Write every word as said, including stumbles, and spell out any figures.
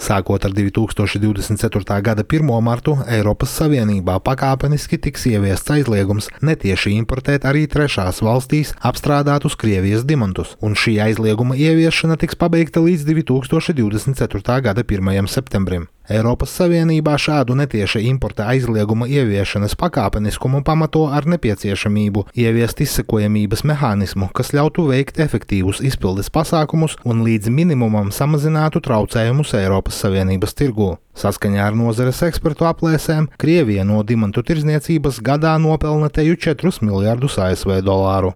Sākot ar divi tūkstoši divdesmit ceturtā gada pirmo martu Eiropas Savienībā pakāpeniski tiks ieviests aizliegums netieši importēt arī trešās valstīs apstrādātus Krievijas diamantus, un šī aizlieguma ieviešana tiks pabeigta līdz divi tūkstoši divdesmit ceturtā gada pirmajam septembrim. Eiropas Savienībā šādu netieša importa aizlieguma ieviešanas pakāpeniskumu pamato ar nepieciešamību ieviest izsekojamības mehānismu, kas ļautu veikt efektīvus izpildes pasākumus un līdz minimumam samazinātu traucējumus Eiropas Savienības tirgū. Saskaņā ar nozares ekspertu aplēsēm, Krievija no diamantu tirdzniecības gadā nopelna teju četrus miljardus A S V dolāru.